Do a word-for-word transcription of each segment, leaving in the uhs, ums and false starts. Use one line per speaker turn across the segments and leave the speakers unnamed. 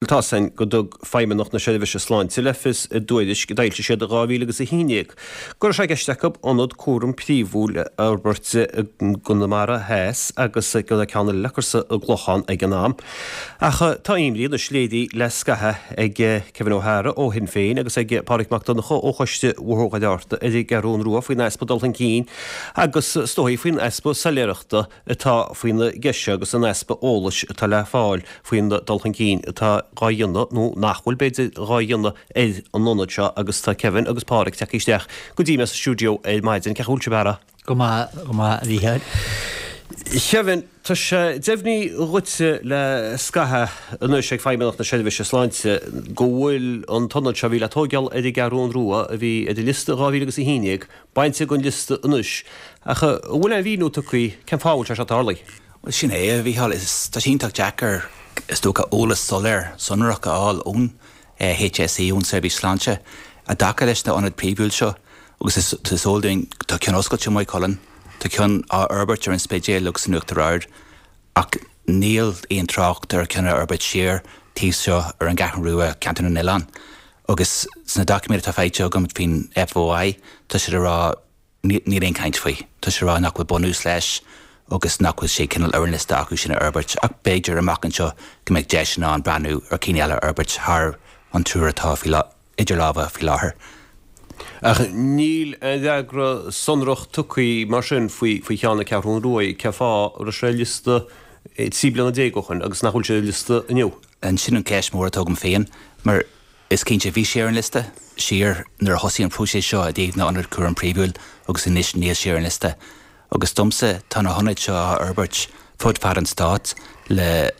Tá a fhios againn go dtug Feidhmeannacht na Seirbhíse Sláinte le fios i dtuairisc a d'fhoilsigh siad i dhá mhíle agus a haon déag go raibh sé i gceist acu ionad cúraim príomhúil a fhorbairt i gConamara Theas agus go raibh ceann eile le cur sa gClochán ag an am. Ach tá imní anois léirithe le scaitheamh ag Kevin O'Hara ó Shinn Féin agus ag Pádraig Mac Donncha ó Choiste Bhóthar Dhoire Fhatharta ar an gCeathrún Rua faoin easpa dul chun cinn agus is dóigh faoin easpa soiléireachta atá faoina gceist seo agus an easpa eolais atá le fáil faoin dul chun cinn atá dhá dhéanamh, nó nach bhfuil, b'fhéidir, dhá dhéanamh ar an ionad seo agus tá Kevin agus Pádraig tagtha isteach go dtí mé sa stiúideo ar maidin. Cén chaoi a bhfuil sibh, a fheara?
Go maith, go maith, a Mhícheáil.
Kevin, tá sé deimhnithe dhuitse le scaitheamh anois ag Feidhmeannacht na Seirbhíse Sláinte go bhfuil an t-ionad seo a bhí le tóigeáil ar an gCeathrún Rua, a bhí ar an liosta dhá mhíle agus a haon déag, bainte den liosta anois. Ach an bhfuil aon mhíniú tugtha cén fáth a bhfuil sé seo tarlaithe?
Bhuel, sin é, a Mhícheáil. Tá sé iontach deacair, is dócha, eolas soiléir, sonrach a fháil ón H S E, ón tSeirbhís Sláinte, i dtaca leis na hionaid príomhúil seo. Agus is is eol dúinn, tá ceann oscailte i Maigh Cuilinn, tá ceann á fhorbairt ar an Spidéal agus in Uachtar Ard, ach níl aon trácht ar cheann a fhorbairt siar taobh seo ar an gCeathrú Rua, Ceantar na nOileán. Agus sna doiciméid atá faighte agam faoin F O I, tá siad ag rá níl aon chaint faoi. Tá siad ag rá nach bhfuil bunús leis agus nach bhfuil sé cineál ar an liosta acu sin a fhorbairt, ach b'fhéidir amach anseo go mbeidh deis in ann breathnú ar cinn eile a fhorbairt thar an triúr atá idir lámha faoi láthair.
Ach níl aon fhreagra sonrach tugtha mar sin faoi faoi cheann na Ceathrún Rua, cén fáth a raibh sé ar liosta trí bliana déag ó shin agus nach bhfuil sé ar liosta inniu?
Sin an cheist mhór atá agam féin, mar is cinnte bhí sé ar an liosta siar nuair a thosaigh an próiseas seo i dtaobh na n-ionad cúraim príomhúil agus anois níl sé ar an liosta. Agus domsa, tá na hionaid seo á fhorbairt fud fad an stáit le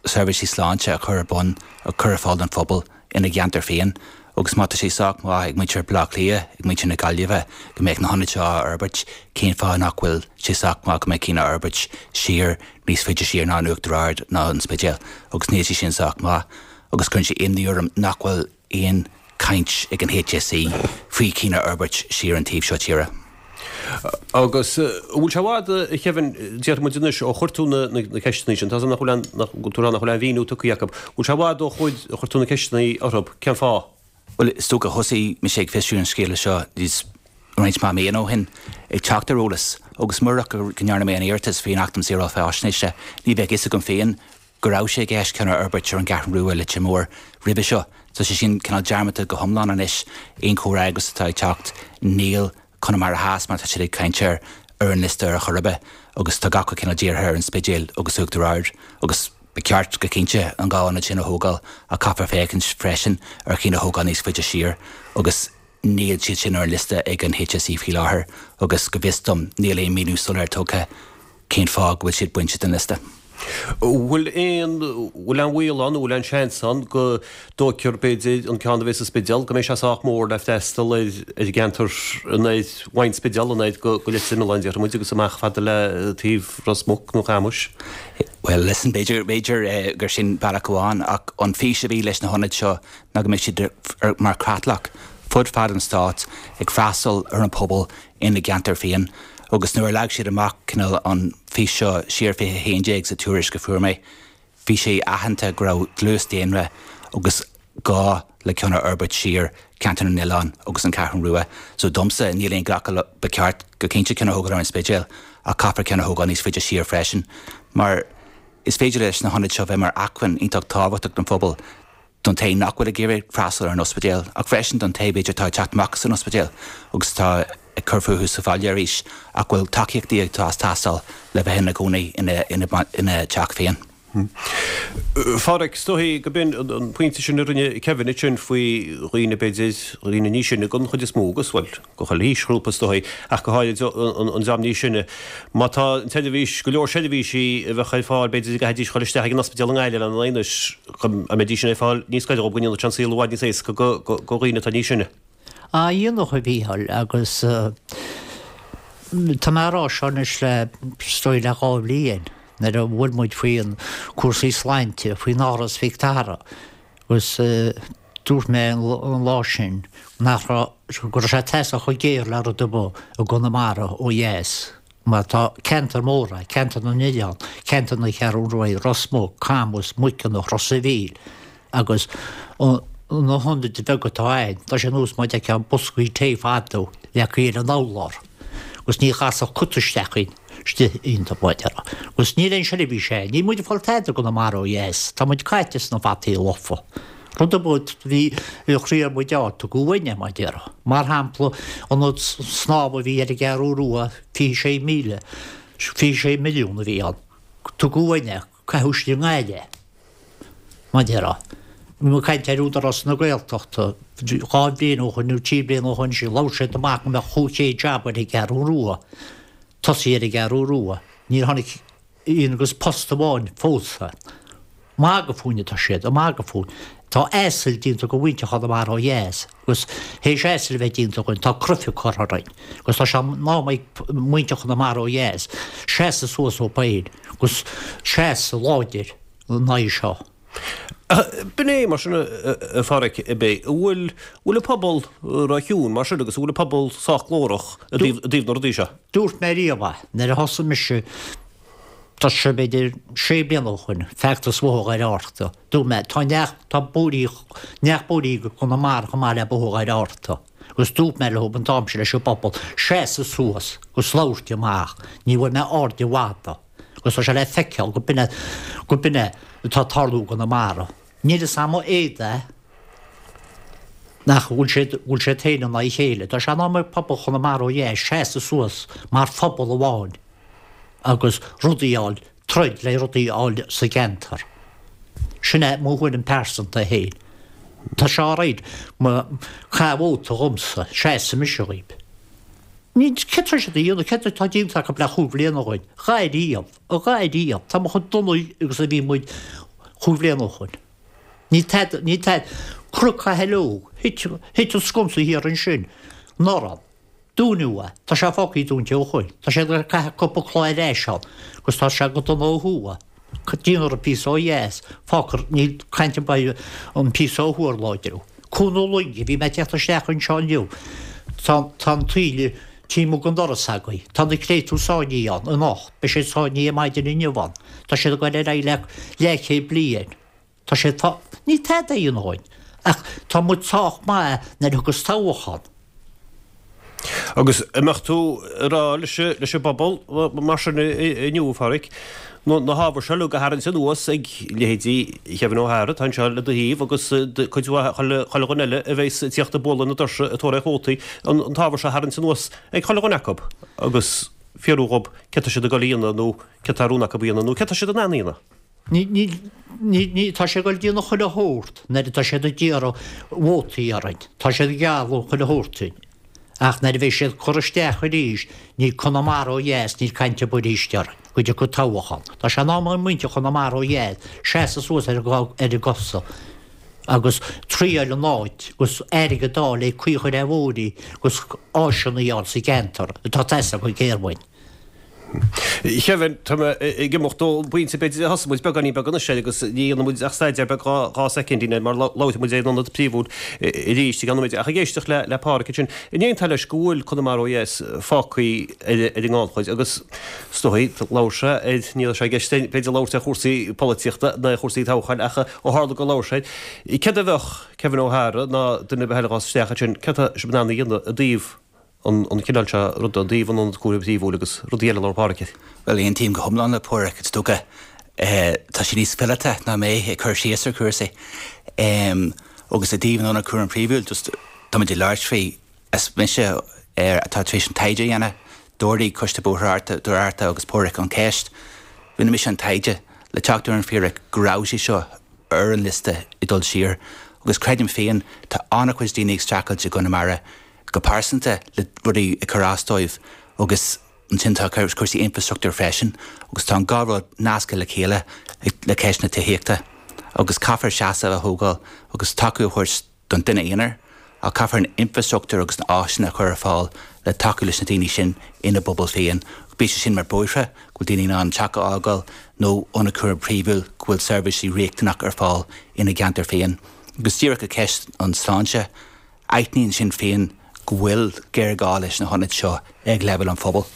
seirbhísí sláinte a chur ar bun, a chur ar fáil don phobal ina gceantar féin. Agus má tá sé sách maith ag muintir Bhaile Átha Cliath, ag muintir na Gaillimhe, go mbeadh na hionaid seo á fhorbairt, cén fáth nach bhfuil sé sách maith go mbeadh cinn á fhorbairt siar níos faide siar ná an Uachtar Ard ná an Spidéal? Agus níl sé sin sách maith. Agus cuireann sé imní orm nach bhfuil aon chaint ag an H S E faoi chinn a fhorbairt siar an taobh seo tíre.
Agus an bhfuil sé i bhfad, a Kevin, déarfaidh muid anois, ó chuir tú na ceisteanna sin, tá nach bhfuil nach bhfuil aon mhíniú tugtha acu, bhfuil sé i bhfad ó chuir tú na ceisteanna orthu, cén fáth?
Bhuel, is dócha thosaigh mise ag fiosrú an scéala seo níos roinnt mhaith míonna ó shin, ag teacht ar eolas, agus murach go ndearna mé an iarratas faoin Acht um Shaoráil Faisnéise, ní bheadh fhios agam féin go raibh sé i gceist ceann a fhorbairt ar an gCeathrú Rua, Leitir Móir roimhe seo. Tá sé sin cineál dearmadta go hiomlán anois. Aon chomhrá agus atá ag teacht, níl Conamara Theas, mar tá siad ag caint air, ar an liosta ar chor ar bith, agus tá gach cineál dírithe ar an Spidéal agus Uachtar Ard, agus ba cheart go cinnte an dhá ionad sin a thógáil, ach caithfear féachaint freisin ar chinn a thógáil níos faide siar, agus níl siad sin ar an liosta ag an H S E faoi láthair, agus go bhfios dom níl aon míniú soiléir tugtha cén fáth go bhfuil siad bainte den liosta.
Bhfuil aon bhfuil aon bhaol ann, bhfuil aon seans ann go dtógfar b'fhéidir an ceann a bheidh sa Spidéal, go mbeidh sé sách mór le freastal ar ar an gceantar anoir uaidh an Spidéal anoir go go Leitir Mealláin, déarfaidh muid, agus amach fada le taobh Ros Muc nó Camus?
Well, listen, b'fhéidir b'fhéidir gur sin bealach amháin, ach an fís a bhí leis na hionaid seo ná go mbeidh siad mar chreatlach fud fad an stáit ag freastal ar an pobal ina gceantar féin. Agus nuair a leag siad amach cineál an fís seo siar fiche haon déag sa tuairisc a fuair mé, bhí sé aitheanta go raibh dlús daonra agus gá le ceann a fhorbairt siar Ceantar na nOileán agus an Cheathrú Rua. So domsa, níl aon ghlacadh, ba cheart go cinnte ceann a thógáil ar an Spidéal, ach caithfear ceann a thógáil níos faide siar freisin, mar is féidir leis na hionaid seo bheith mar acmhainn iontach tábhachtach don phobal, don té nach bhfuil ag iarraidh freastal ar an ospidéal, ach freisin don té b'fhéidir atá ag teacht amach as an ospidéal agus atá ag cur fúthu sa bhaile arís ach bhfuil tacaíochtaí ag teastáil le bheith ina gcónaí ina ina ina teach féin.
A Phádraig, is dóigh go b'in an pointe sin a rinne Kevin ansin faoi dhaoine b'fhéidir, dhaoine níos sine den chuid is mó agus, bhuel, go chuile aoisghrúpa is dóigh, ach go háirid an dream níos sine. Má tá an tseirbhís, go leor seirbhísí a bheadh ar fáil b'fhéidir go gcaithfidís dul isteach ag an ospidéal i nGaillimh lena n-aghaidh anois, go mbeidís sin ar fáil níos gaire dhóibh, go ndéanfadh sé an saol i bhfad níos éasca do dhaoine atá níos sine.
Á dhéanfadh, a Mhícheáil, agus tá mé á rá seo anois le, is dóigh le dhá bhliain, nuair a bhuail muid faoin cúrsaí sláinte, faoin Áras Mhic Dara, agus dúirt mé an lá sin nach raibh, go raibh sé ag teastáil chomh géar le rud ar bith i gConamara ó dheas, mar tá ceantar mór é, ceantar na n-oileán, ceantar na Ceathrún Rua, Ros Muc, Camus, Muiceanach, Ros a' Mhíl, Agus na hionaid bheaga atá ann, tá sé nós mar a d'fheicfeá boscaí tae fadó leagtha ar an urlár agus ní chasfadh cut isteach istigh iontu, mar a déarfá. Agus níl aon seirbhís ann. Níl muid ag fáil tada i gConamara ó dheas. Tá muid caite sna fataí lofa. Rud ar bith a bhí a chroí ar muid a fháil, tugadh uainn é, mar a déarfá. Mar shampla, ionad snámha a bhí ar an gCeathrú Rua, fiche sé míle, fiche sé milliún a bhí ann. Tugadh uainn é, caitheadh istigh i nGaillimh é. Mar a déarfá. Bhí mé ag caint ar Údarás na Gaeltachta dhá bhliain ó shoin nó trí bliana ó shoin sin, labhair siad amach go mbeadh chúig chéad jab ar an gCeathrú Rua, tosaithe ar an gCeathrú Rua. Níor tháinig aon agus post amháin fós. Magadh fúinn atá siad, ag magadh fúinn. Tá asail déanta de mhuintir Chonamara ó dheas agus théis asail a bheith déanta againn tá cruifigh curtha orainn agus tá sé in am ag muintir Chonamara ó dheas seasamh suas dóibh féin agus seasamh láidir in aghaidh seo.
B'in é mar sin a Pháraic, ab é? An bhfuil bhfuil an pobal ró-chiúin mar sin agus an bhfuil an pobal sách glórach i dtaobh na rudaí seo?
Dúirt mé riamh é nuair a thosaigh mise, tá sé b'fhéidir sé bliana ó shoin, feachtas Bhóthar Dhoire Fhatharta. Dúirt mé, tá neach, tá bóithrí, neach bóithrí go Conamara chomh maith le Bóthar Dhoire Fhatharta. Agus dúirt mé leo an t-am sin leis an bpobal seasamh suas agus labhairt amach, ní bhfuair mé aird an mhada. Agus tá sé le feiceáil go b'in é, go b'in é atá ag tarlú i gConamara. Níl fhios a'm an éad é nach bhfuil siad, bhfuil siad féin in aghaidh a chéile. Tá sé in am ag pobal Chonamara ó dheas seasamh suas mar phobal amháin agus rudaí a fháil, troid le rudaí a fháil sa gceantar. Sin é mo thuairim pearsanta féin. Tá sé alright má caith vóta dhomsa, seasfaidh mise dhaoib. Ní, céard tá siad a dhéanamh, céard atá déanta acu le chúig bhliana ó shoin? A dhath riamh, a dhath riamh. Tá muid chomh dona agus a bhí muid chúig bhliana ó shoin. Níl tada, níl tada. Cnoc Chathalóg, thit, thit an sconsa thiar ansin, anuraidh. Dúnadh é. Tá sé fágtha dúnta ó shoin. Tá siad ag caitheamh cúpla cloch ar ais ann agus tá sé go dona ó thuaidh. Déanfar an píosa ó dheas, fágfar, níl caint ar bith an píosa ó thuaidh a láidriú. Cuan na Loinge, bhí mé ag teacht isteach anseo inniu, tá, tá an taoille taobh amuigh den doras agaibh. Tá na créatúir sáinnithe ann anocht, beidh siad sáinnithe maidin inniu ann. Tá siad ag dul ar aghaidh le leathchéad bliain. Tá siad fá, níl tada a dhéanamh dhúinn, ach tá muid sách maith nuair a thiocfas toghchán.
Agus an mbeadh tú ag rá leis an bpobal mar sin inniu, a Pháraic, na hábhair seo uilig a tharraingt anuas ag leithéidí Kevin O'Hara, atá anseo le do thaobh, agus cuid mhaith chuile dhuine eile a bheas ag tíocht ag bualadh na doirse ag tóraíocht vótaí, an t-ábhar seo a tharraingt anuas ag chuile dhuine acu agus fiafraí dhób céard tá siad ag dul a dhéanamh nó céard tá rún acu a dhéanamh nó céard tá siad in ann a dhéanamh.
Ní, ní, ní, ní, tá sé ag dul ag déanamh chuile shórt nuair atá siad ag iarraidh vótaí orainn. Tá siad ag gealladh chuile shórt dúinn. Ach nuair a bheidh siad curtha isteach arís, níl Conamara ó dheas, níl caint ar bith arís orainn, go dtiocfaidh toghchán. Tá sé in am ag muintir Chonamara ó dheas seasamh suas ar a gcosa agus triail an áit agus airgead a fháil le caoi a chur ar bhóithrí agus áiseanna a fháil sa gceantar atá ag teastáil go géar uainn.
Kevin, tá mé ag imeacht ón bpointe b'fhéidir a thosaigh muid beagáinín beag anois air agus ní dhéanfaidh muid ach staidéar beag dhá dhá soicindín air mar labharfaidh muid ar an ionad príomhúil arís i gceann nóiméid. Ach ag éisteacht le le Páraic ansin, an aontófá leis go bhfuil Conamara ó dheas fágtha ar ar an ngannchuid agus is dóigh, labhair sé ar, ní raibh sé i gceist b'fhéidir labhairt ar chúrsaí polaitíochta ná ar chúrsaí toghcháin ach ó tharla gur labhair sé air, céard a bheadh Kevin O'Hara ná duine ar bith eile a ghabhfas isteach ansin, céard tá sibh in ann a dhéanamh i dtaobh an cineál seo ruda i dtaobh an ionad cúraim phríomhúil agus rudaí eile a labhair Páraic air.
Bhuel, aontaím go hiomlán le Páraic, is dócha. Tá sé níos fileata ná mé ag cur síos ar chúrsaí. Agus i dtaobh an ionad cúraim phríomhúil, just táimid ag labhairt faoi, is mise atá tar éis an taighde a dhéanamh, d'ardaigh Coiste Bóithre Doire Fhatharta agus Páraic an cheist, rinne mise an taighde le teacht ar an bhfíric go raibh sé seo ar an liosta ag dul siar agus creidim féin tá an-chuid daoine ag streachailt i gConamara go pearsanta le rudaí ag cur as dóibh agus ansin tá cúrsaí infreastruchtúir freisin agus tá an dhá rud nasctha le chéile le ceist na tithíochta agus caithfear seasamh a thógáil agus tacú a thabhairt don duine aonair ach caithfear an infreastruchtúr agus na áiseanna a chur ar fáil le tacú leis na daoine sin ina bpobal féin, bíodh sé sin mar bóithre, go bhfuil daoine in ann teach a fhágáil nó ionad cúraim príomhúil go bhfuil seirbhísí riachtanach ar fáil ina gceantar féin. Agus díreach i gceist an sláinte, Aithníonn Sinn Féin go bhfuil géarghá leis na hionaid seo ag leibhéal an phobail.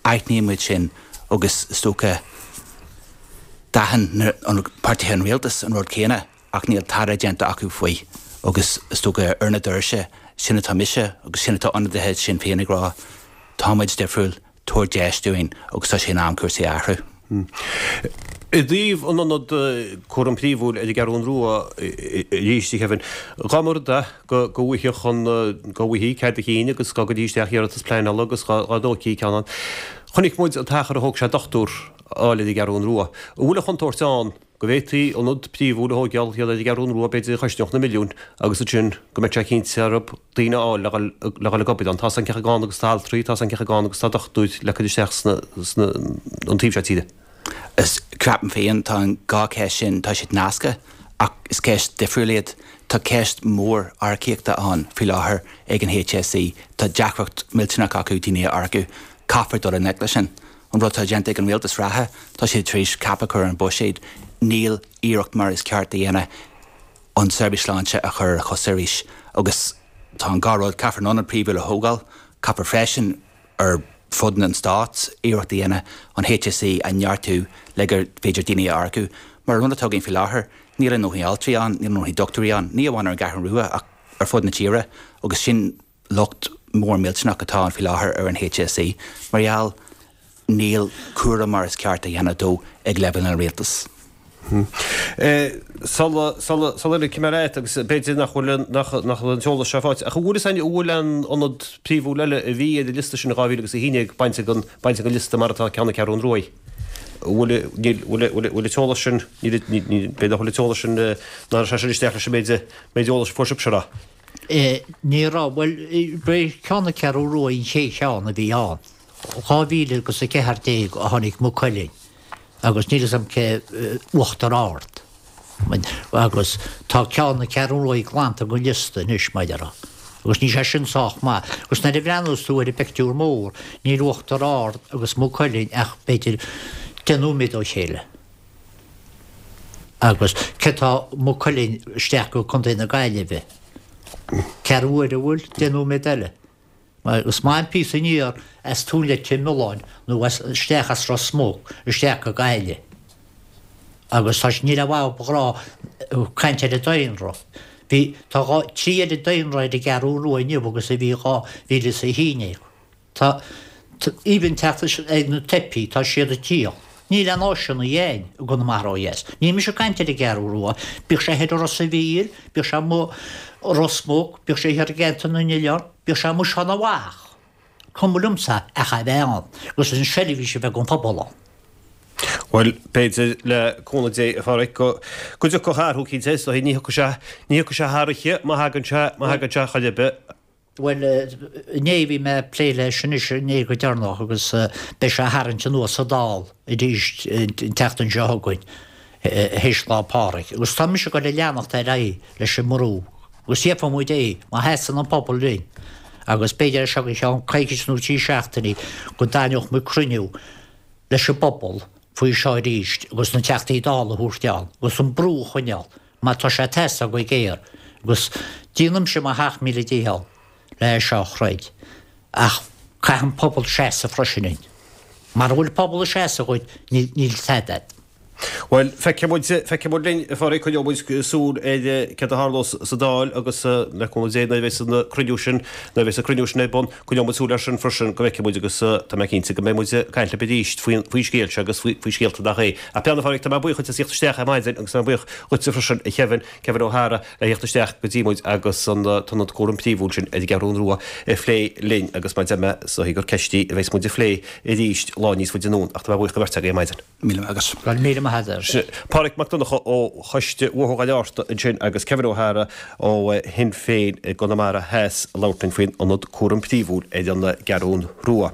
Aithníonn muid sin agus is dócha d'aithin páirtithe an rialtais an rud céanna ach níl tada déanta acu faoi agus is dócha ar na doirse sin atá mise agus sin atá ionadaithe Sinn Féin ag rá táimid difriúil tabhair deis dúinn agus tá sé in am cúrsaí a athrú.
I dtaobh an ionad cúram príomhúil ar an gCeathrú Rua arís, a Kevin, dá mba rud é go bhfaigheadh an go bhfaighfí cead a chinn agus go gcuirfí isteach iarratas pleanála agus dá dtógfaí ceann ann. Chonaic muid an t-achar a thóg sé dochtúir a fháil ar an gCeathrú Rua. An bhfuil an chontúirt ann go bhféadfaí ionad príomhúil a thógáil thiar ar an gCeathrú Rua, b'fhéidir a chosnódh na milliúin, agus ansin go mbeadh sé cinnte orthu daoine a fháil le dhul le dhul ag obair ann. Tá 's againn cé chomh gann agus atá altraí, tá 's againn cé chomh gann agus atá dochtúir le cur isteach sna sna an taobh seo tíre.
Is ceapaim féin, tá an dhá cheist sin, tá siad nasctha ach is ceist difriúil iad. Tá ceist mhór earcaíochta ann faoi láthair ag an HSE. Tá deacracht millteanach acu daoine a earcú. Caithfear dul i ngleic leis sin. An rud atá déanta ag an rialtas reatha, tá siad tar éis cap a chur ar an buiséad. Níl iarracht mar is ceart a dhéanamh an tseirbhís sláinte a chur ar a chosa arís. Agus tá an dhá rud, caithfear an ionad príomhúil a thógáil, caithfear freisin ar fud an stáit iarracht a dhéanamh an HSE a neartú le gur féidir daoine a earcú. Mar an rud atá againn faoi láthair, níl a ndóthain altraí ann, níl a ndóthain dochtúirí ann, ní amháin ar an gCeathrú Rua ach ar fud na tíre agus sin locht mór millteanach atá ann faoi láthair ar an HSE mar gheall níl cúram mar is ceart a dhéanamh dó ag leibhéal an rialtais.
Sula sula ligfidh mé leat, agus b'fhéidir nach bhfuil nach nach bhfuil an t-eolas seo faighte, ach an bhfuil fhios againn an bhfuil aon ionad príomhúil eile a bhí ar an liosta sin in dhá mhíle agus a haon déag bainte den bainte den liosta mar atá ceann na Ceathrún Ruaidh? An bhfuil níl bhfuil bhfuil bhfuil an t-eolas sin níl níl b'fhéidir nach bhfuil an t-eolas sin nach raibh sé sin isteach leis an méid méid eolais a fuair sibhse a rá.
Ní raibh, bhuel, b'é ceann na Ceathrún Ruaidh an chéad cheann a bhí ann. Dhá mhíle agus a ceathair déag a tháinig Maigh Cuilinn agus níl fhios agam cé Uachtar Ard. Agus tá ceann na Ceathrún Ruaidh glanta den liosta anois, mar a déarfá. Agus níl sé sin sách maith. Agus nuair a bhreathnós tú ar an bpictiúr mór, níl Uachtar Ard agus Maigh Cuilinn ach b'fhéidir deich nóiméad ó chéile. Agus cé tá Maigh Cuilinn isteach go Contae na Gaillimhe? Ceathrú uaire, an bhfuil? Deich nóiméad eile. Is maith an píosa aniar as Tóin Leitir Mealláin nó as isteach as Ros Muc isteach go Gaillimh. Agus tá níl a mhaith ba ghrá caint ar an daonra. Bhí tá dhá trí oiread daonra ar an gCeathrú Rua inniu agus a bhí dhá mhíle is a haon déag. Tá even teacht ag na teifigh tá siad ag tíocht. Níl aon áiseanna againn i gConamara ó dheas. Níl mise ag caint ar an gCeathrú Rua. Bíodh sé thoir i Ros a' Mhíl, bíodh sé amuigh i Ros Muc, bíodh sé thiar i gCeantar na nOileán, bíodh sé amuigh Seán a' Mhach. Cuma liomsa ach a bheith ann agus an seirbhís a bheith don phobal ann.
Bhuel, b'fhéidir, le cúnamh Dé, a Pháraic, go go dtiocfadh athrú cinnte, is dóigh, ní thiocfaidh sé, ní thiocfaidh sé thar oíche má thagann sé, má thagann sé chor ar bith.
Bhuel, inné bhí mé ag plé leis anois, inné go deireanach, agus beidh sé á tharraingt anuas sa Dáil arís an tseachtain seo chugainn, théis Lá Pádraig. Agus tá mise ag dul a leanacht ar aghaidh leis an mbrú, agus gheobhaidh muid é, má sheasann an pobal linn. Agus b'fhéidir as seo go ceann coicís nó trí seachtainí go dtarraingeodh muid cruinniú leis an bpobal faoi seo arís agus na Teachtaí Dála a thabhairt ann agus an brú a choinneáil. Mar tá sé ag teastáil go géar agus déanaimse mo sheacht míle dícheall le é seo a throid ach caithfidh an pobal seasamh freisin linn. Mara bhfuil pobal ag seasamh dhuit níl tada agat.
Bhuel, feicfidh muid, feicfidh muid linn, a Phádraig, coinneoidh muid súil ar céard a tharlós sa Dáil agus le cúnamh Dé nuair a bheas an cruinniú sin, nuair a bheas an cruinniú sin ar bun, coinneoidh muid súil air sin freisin go bhfeicfidh muid agus tá mé cinnte go mbeidh muid ag caint libh arís faoin, faoin scéal seo agus faoi, faoi scéalta nach é. Ach beannacht, a Phádraig, tá mé buíoch dhuit as theacht isteach ar maidin agus tá mé buíoch dhuitse freisin, a Kevin, Kevin O'Hara, le theacht isteach go dtí muid agus an t-ionad cúraim príomhúil sin ar an gCeathrún Rua a phlé linn agus mar a deir mé, is dóichí gur ceist í a bheas muid a phlé arís lá níos faide anonn ach tá mé buíoch do bheirt agaibh ar maidin.
Míle maith agat.
Go raibh míle maith agat.
Pádraig Mac Donncha ó Choiste Bhóthar Bhaile Árta ansin agus Kevin O'Hara ó Shinn Féin i gConamara Theas ag labhairt linn faoin ionad cúraim príomhúil ar an gCeathrún Rua.